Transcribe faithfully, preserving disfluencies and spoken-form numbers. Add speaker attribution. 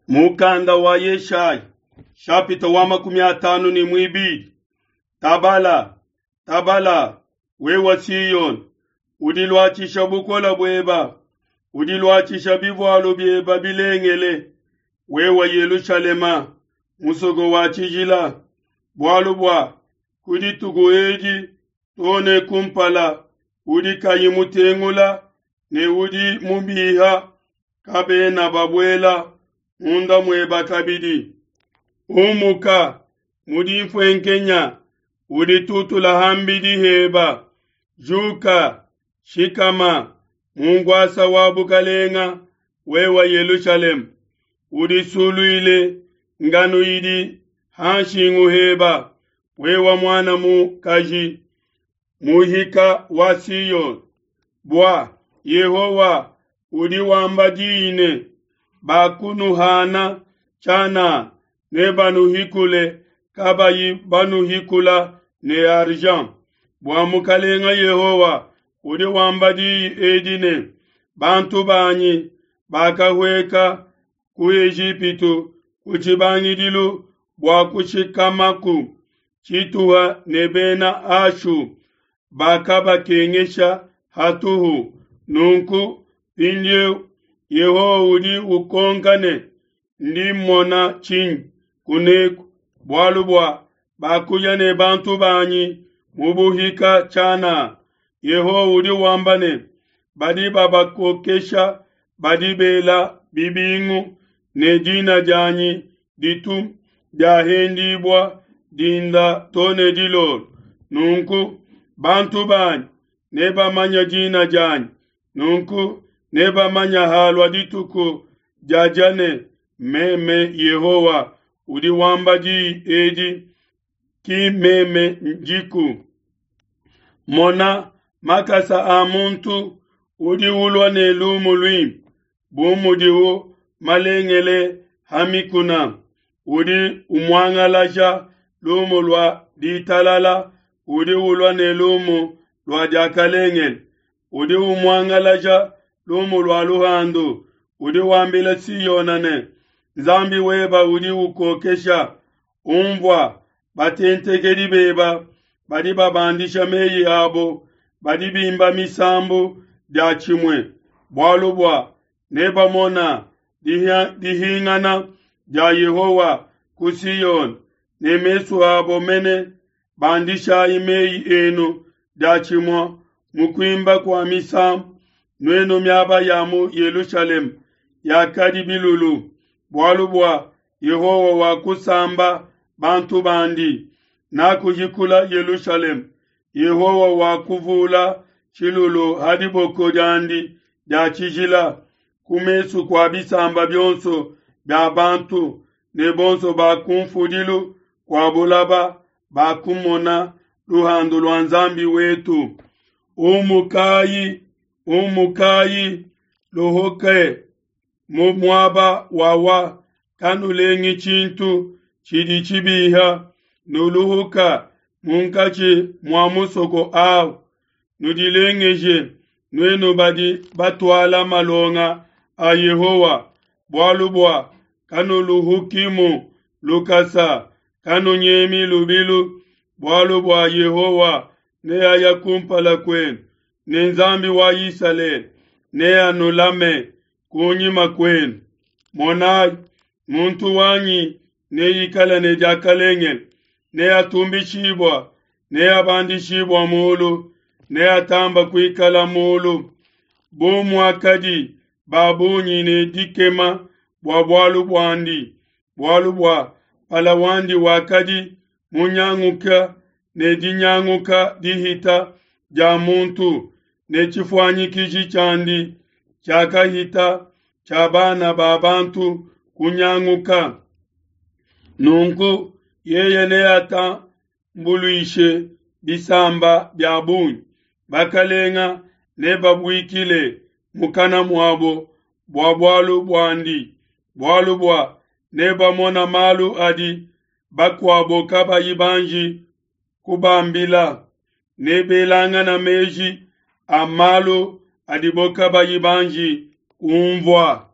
Speaker 1: Mukanda wa Yeshaya shapita wa makumi atanu ne muibidi. Tabala, tabala, wewa Siyoni, udiluatshisha bukola bueba, udiluatshisha bivualu bieba bilengele, wewa Yelushalema, musoko wa tshijila, bualu bua ku dituku edi too ne kumpala udi kayi mutengula ne udi mubiha kabena babuela munda mueba kabidi. Umuka mu dimfuenkenya uditutula ham'bidi heba, juka, shikama mu nkuasa wa bukalenga, wewa Yelushalema, udisuluile ngano idi ha nshingu heba, wewa muana mukaji muhika wa Siyoni. Bua Yehowa udi wamba diyi ne, bakunuhana tshianana, nebanuhikule kabayi banuhikula ne argent. Bua Mukalenga Yehowa udi wamba diyi edi ne, bantu banyi bakahueka ku Ejipitu ku tshibangidilu bua kushikamaku tshituha ne bena Ashu bakabakengesha hatuhu. Nunku mpindieu Yehowa udi ukonka ne, ndi mmona tshinyi kuneku? Bualu bua bakuya ne bantu banyi mu buhika tshianana. Yehowa udi wamba ne, badi babakokesha badi bela bibingu ne dina dianyi ditu diahendibua dinda to ne dilolo. Nunku bantu banyi nebamanye dina dianyi, nunku nebamanye halua dituku diadia ne, meme Yehowa udi wamba diyi edi, ki meme ndiku. Mona makasa a muntu udi ulua ne lumu luimpe, bu mudiwu malengele ha mikuna, udi umuangalaja lumu lua ditalala, udi ulua ne lumu lua diakalengele, udi umuangalaja lumu lua luhandu, udi wambila Siona ne, Nzambi weba udi ukokesha. Unvua, batentekedi beba badi babandisha meyi abo, badi bimba misambu diatshimue, bualu bua nebamona dihingana dia Yehowa ku Siona ne mesu abo mene. Bandishai meyi enu diatshimue mu kuimba kua misambu, nuenu miaba ya mu Yelushalema yakadi bilulu, bualu bua Yehowa wakusamba bantu bandi, nakuhikula Yelushalema. Yehowa wakuvula tshilulu ha diboko diandi dia tshijila ku mesu kua bisamba bionso bia bantu, ne bonso ba kunfudilu kua bulaba bakumona luhandu lua Nzambi wetu. Umukai, umukai, luhuke mu muaba wawa, kanulengi tshintu tshidi tshibiha, nuluhuka munkatshi mua musoko awu. Nudilengeje, nuenu badi batuala malonga a Yehowa, bualu bua kanuluhukimu lukasa, kanunyemi lubilu, bualu bua Yehowa neaya kumpala kuenu, ne Nzambi wa Isalele neanulame kunyima kuenu. Monai, muntu wanyi neikale ne diakalengele, neatumbishibua, neabandishibua mulu, neatamba kuikala mulu. Bu muakadi ba bungi ne dikema bua bualu buandi, bualu bua mpala wandi wakadi munyanguka ne dinyanguka dihita dia muntu, ne tshifuanyikiji tshiandi tshiakahita tshia bana ba bantu kunyanguka. Nunku yeye neatambuluishe bisamba bia bungi, bakalenga nebabuikile mukana muabo bua bualu buandi, bualu bua nebamona malu adi bakuabo kabayi banji kubambila, nebelangana meji a malu adibo kabayi banji kunvua.